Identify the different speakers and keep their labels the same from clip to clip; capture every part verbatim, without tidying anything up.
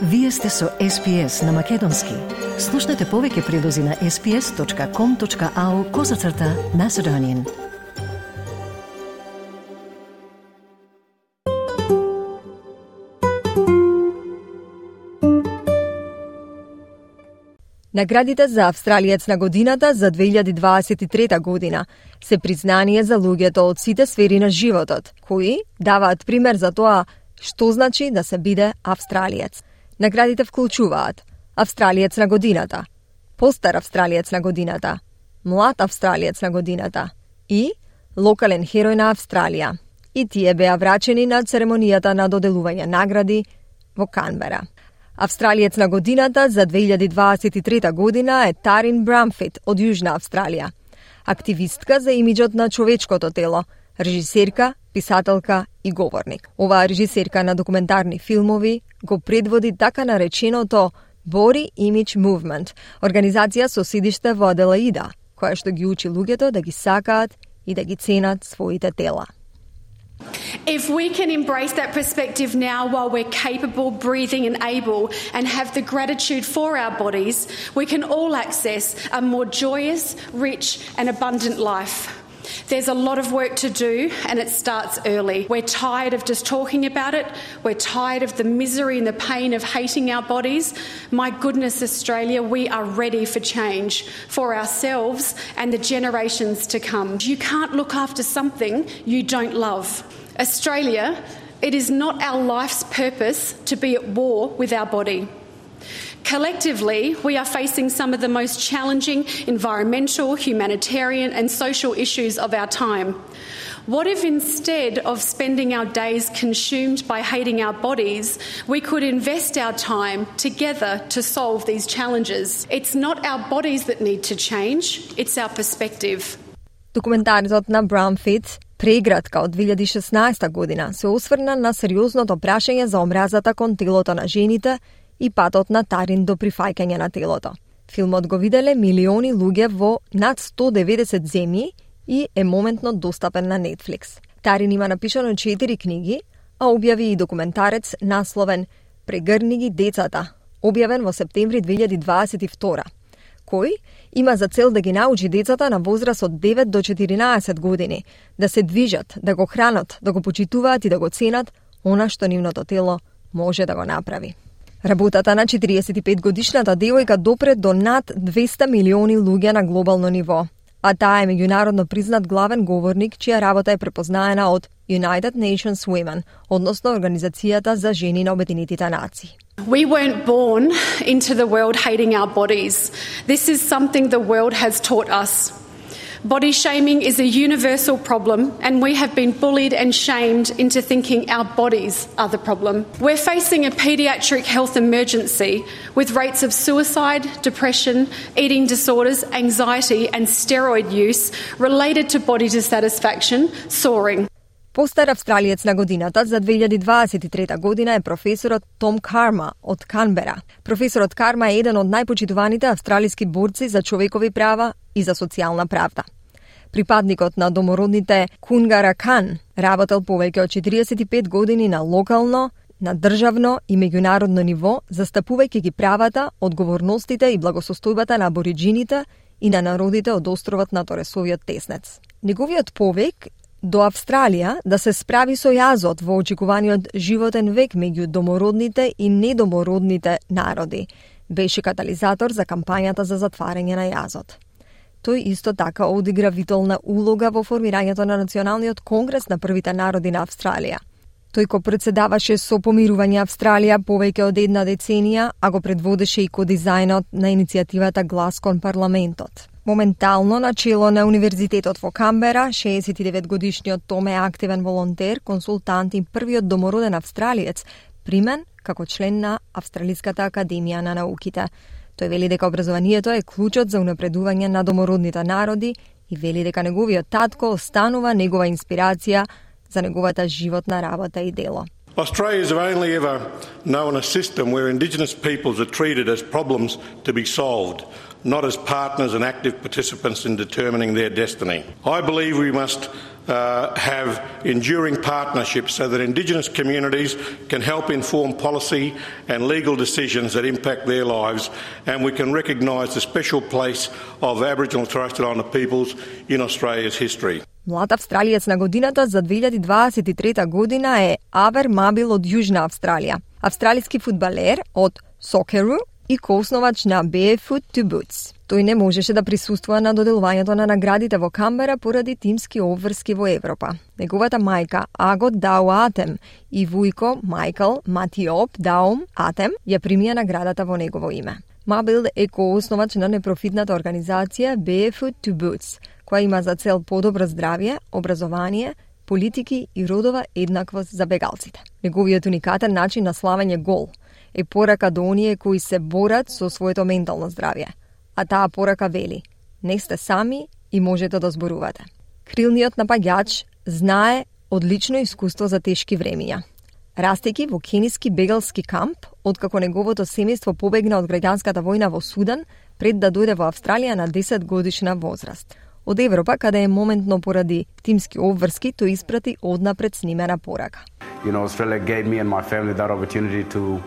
Speaker 1: Вие сте со Ес Пи Ес на Македонски. Слушнете повеќе прилози на ес пи ес точка ком точка ау козацрта Macedonian.
Speaker 2: Наградите за Австралиец на годината за две илјади дваесет и трета година се признание за луѓето од сите сфери на животот, кои даваат пример за тоа што значи да се биде австралиец. Наградите вклучуваат Австралиец на годината, Постар австралиец на годината, Млад австралиец на годината и Локален херој на Австралија. И тие беа врачени на церемонијата на доделување награди во Канбера. Австралиец на годината за две илјади дваесет и трета година е Тарин Брамфит од Јужна Австралија. Активистка за имиџот на човечкото тело, режисерка, писателка и говорник. Оваа режисерка на документарни филмови го предводи така нареченото Body Image Movement, организација со седиште во Аделаида, која што ги учи луѓето да ги сакаат и да ги ценат своите тела.
Speaker 3: If we can embrace that perspective now while we're capable, breathing and able and have the gratitude for our bodies, we can all access a more joyous, rich and abundant life. There's a lot of work to do and it starts early. We're tired of just talking about it. We're tired of the misery and the pain of hating our bodies. My goodness, Australia, we are ready for change for ourselves and the generations to come. You can't look after something you don't love. Australia, it is not our life's purpose to be at war with our body. Collectively, we are facing some of the most challenging environmental, humanitarian and social issues of our time. What if instead of spending our days consumed by hating our bodies, we could invest our time together to solve these challenges? It's not our bodies that need to change, it's our perspective.
Speaker 2: Документарот на Брамфит Преградка од две илјади и шеснаесета година се осврна на сериозното прашање за омразата кон телото на жените и патот на Тарин до прифаќање на телото. Филмот го виделе милиони луѓе во над сто деветдесет земји и е моментно достапен на Netflix. Тарин има напишано четири книги, а објави и документарец насловен Прегрни ги децата, објавен во септември две илјади дваесет и втора, кој има за цел да ги научи децата на возраст од девет до четиринаесет години да се движат, да го хранат, да го почитуваат и да го ценат она што нивното тело може да го направи. Работата на четириесет и пет годишната девојка допре до над двесте милиони луѓе на глобално ниво, а таа е меѓународно признат главен говорник чија работа е препознаена од United Nations Women, односно Организацијата за жени на Обединетите нации.
Speaker 3: We weren't born into the world hating our bodies. This is something the world has taught us. Body shaming is a universal problem and we have been bullied and shamed into thinking our bodies are the problem. We're facing a paediatric health emergency with rates of suicide, depression, eating disorders, anxiety and steroid use related to body dissatisfaction soaring.
Speaker 2: Постар австралиец на годината за две илјади дваесет и трета година е професорот Том Карма од Канбера. Професорот Карма е еден од најпочитуваните австралиски борци за човекови права и за социјална правда. Припадникот на домородните Кунгаракан работел повеќе од четириесет и пет години на локално, на државно и меѓународно ниво, застапувајќи ги правата, одговорностите и благосостојбата на абориџините и на народите од островот на Торесовиот теснец. Неговиот повик до Австралија да се справи со јазот во очекуваниот животен век меѓу домородните и недомородните народи беше катализатор за кампањата за затварање на јазот. Тој исто така одигра витална улога во формирањето на Националниот конгрес на првите народи на Австралија. Тој ко председаваше со помирување Австралија повеќе од една деценија, а го предводеше и ко дизајнот на иницијативата Глас кон парламентот. Моментално на чело на Универзитетот во Канбера, шеесет и девет годишниот Том е активен волонтер, консултант и првиот домороден австралиец, примен како член на Австралиската академија на науките. Тој вели дека образованието е клучот за унапредување на домородните народи и вели дека неговиот татко останува негова инспирација за неговата животна работа и дело.
Speaker 4: Australia has only ever known a system where Indigenous peoples are treated as problems to be solved, not as partners and active participants in determining their destiny. I believe we must uh, have enduring partnerships so that Indigenous communities can help inform policy and legal decisions that impact their lives, and we can recognise the special place of Aboriginal and Torres Strait Islander peoples in Australia's history.
Speaker 2: Млад австралиец на годината за две илјади дваесет и трета година е Авер Мабил од Јужна Австралија, австралиски фудбалер од Сокеру и коосновач на Barefoot to Boots. Тој не можеше да присуствува на доделувањето на наградите во Камбера поради тимски обврски во Европа. Неговата мајка Агот Дау Атем и вујко Майкл Матиоп Даум Атем ја примија наградата во негово име. Мабил е коосновач на непрофитната организација Barefoot to Boots, која има за цел подобро здравје, образование, политики и родова еднаквост за бегалците. Неговиот уникатен начин на славење гол е порака до оние кои се борат со своето ментално здравје. А таа порака вели: не сте сами и можете да зборувате. Крилниот напаѓач знае одлично искуство за тешки времиња. Растејќи во кениски бегалски камп, откако неговото семејство побегна од граѓанската војна во Судан, пред да дојде во Австралија на десет годишна возраст. Од Европа, каде е моментно поради тимски обврски, тој испрати однапред снимена порака.
Speaker 5: You know, Australia gave me and my family that opportunity to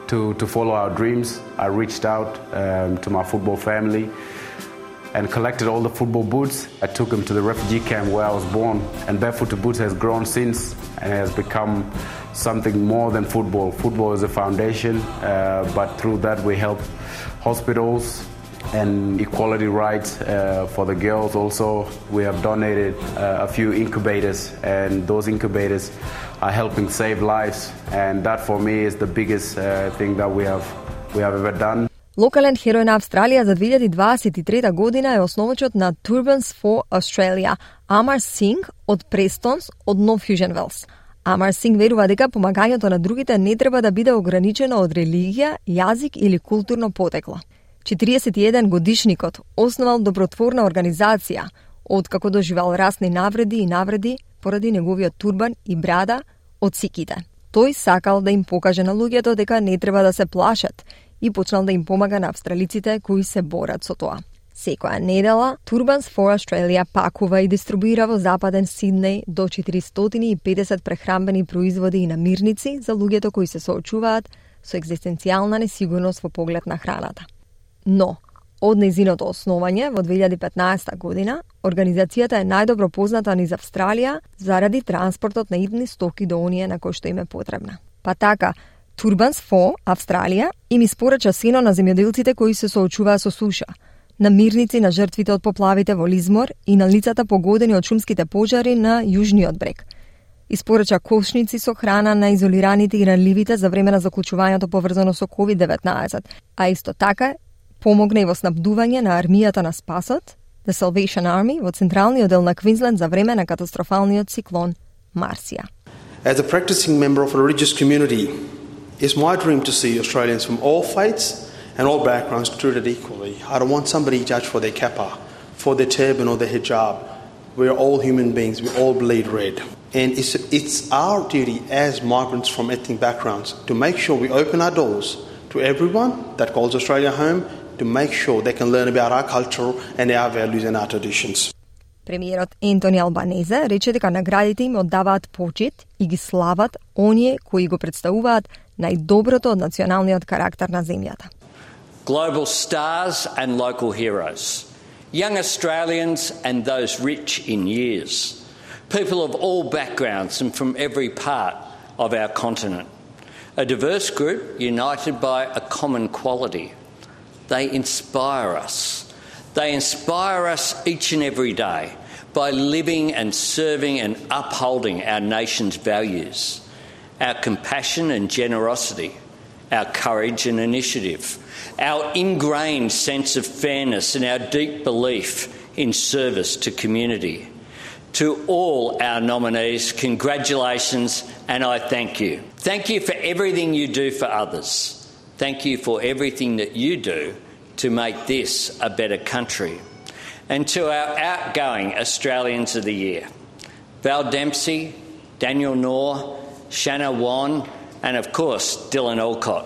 Speaker 5: to to follow our dreams. I reached out um, to my football family and collected all the football boots. I took them to the refugee camp where I was born, and Barefoot to Boots has grown since and has become something more than football. Football is a foundation, uh, but through that we help hospitals and equality rights uh, for the girls. Also, we have donated uh, a few incubators, and those incubators are helping save lives, and that for me is the biggest uh, thing that we have we have ever done.
Speaker 2: Локален херој на Австралија за две илјади дваесет и трета година е основачот на Turbans for Australia, Амар Синг од Престонс од Нов Јужен Велс. Амар Синг верува дека помагањето на другите не треба да биде ограничено од религија, јазик или културно потекло. четириесет и еден годишникот основал добротворна организација, откако доживел расни навреди и навреди поради неговиот турбан и брада од сиките. Тој сакал да им покаже на луѓето дека не треба да се плашат и почнал да им помага на австралиците кои се борат со тоа. Секоја недела, Turbans for Australia пакува и дистрибуира во Западен Сиднеј до четиристотини и педесет прехранбени производи и намирници за луѓето кои се соочуваат со екзистенцијална несигурност во поглед на храната. Но, од нејзиното основање во две илјади петнаесета година, организацијата е најдобро позната низ Австралија заради транспортот на идни стоки до оние на кои што им е потребна. Па така, Turbans for Австралија им испорача сено на земјоделците кои се соочуваат со суша, намирници на жртвите од поплавите во Лизмор и на лицата погодени од шумските пожари на Јужниот брег. Испорача кошници со храна на изолираните и ранливите за време на заклучувањето поврзано со ковид деветнаесет, а исто така помогна и во снабдување на армијата на спасот, The Salvation Army, во централниот дел на Квинсленд за време на катастрофалниот циклон Марсија.
Speaker 6: As a practicing member of a religious community, it's my dream to see Australians from all faiths and all backgrounds treated equally. I don't want somebody judged for their kappa, for their turban or their hijab. We're all human beings, we all bleed red. And it's, it's our duty as migrants from ethnic backgrounds to make sure we open our doors to everyone that calls Australia home, to make sure they can learn about our culture and our values and our traditions.
Speaker 2: Премиерот Ентони Албанезе рече дека наградите им оддаваат почит и ги слават оние кои го представуваат најдоброто од националниот карактер на земјата.
Speaker 7: Global stars and local heroes, young Australians and those rich in years, people of all backgrounds and from every part of our continent. A diverse group united by a common quality. They inspire us. They inspire us each and every day by living and serving and upholding our nation's values, our compassion and generosity, our courage and initiative, our ingrained sense of fairness and our deep belief in service to community. To all our nominees, congratulations and I thank you. Thank you for everything you do for others. Thank you for everything that you do to make this a better country. And to our outgoing Australians of the Year, Val Dempsey, Daniel Knorr, Shanna Wan, and of course Dylan Alcott.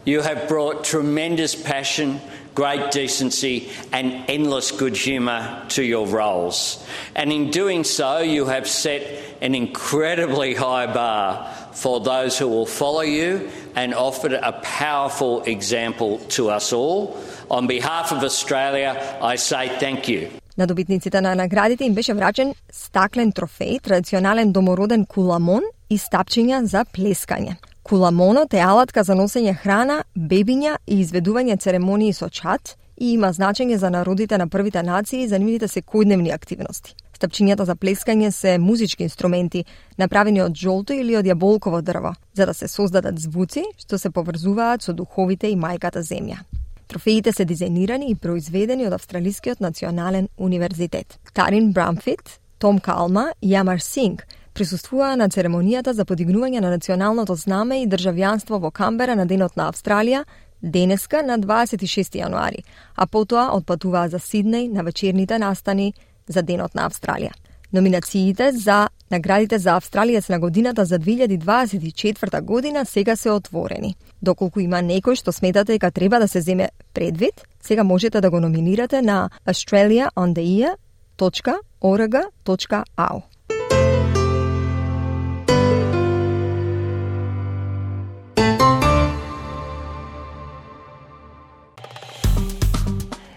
Speaker 7: You have brought tremendous passion, great decency and endless good humour to your roles. And in doing so, you have set an incredibly high bar for those who will follow you and offered a powerful example to us all. On behalf of Australia, I say thank you.
Speaker 2: На добитниците на наградите им беше врачен стаклен трофеј, традиционален домороден куламон и стапчиња за плескање. Куламонот е алатка за носење храна, бебиња и изведување церемонии со чад и има значење за народите на првите нации за нивните секојдневни активности. Стапчињата за плескање се музички инструменти, направени од жолто или од јаболково дрво, за да се создадат звуци што се поврзуваат со духовите и мајката земја. Трофеите се дизајнирани и произведени од Австралискиот национален универзитет. Тарин Брамфит, Том Калма и Амар Синг присуствуваа на церемонијата за подигнување на националното знаме и државјанство во Канбера на Денот на Австралија, денеска на дваесет и шести јануари, а потоа отпатуваа за Сиднеј на вечерните настани за Денот на Австралија. Номинациите за наградите за Австралиец на годината за две илјади дваесет и четврта година сега се отворени. Доколку има некој што сметате дека треба да се земе предвид, сега можете да го номинирате на australia on the year dot org dot a u.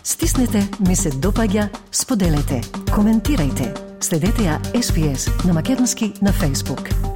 Speaker 1: Стиснете, ми се допаѓа, споделете, коментирајте. Следете ја Ес Би Ес на македонски на Facebook.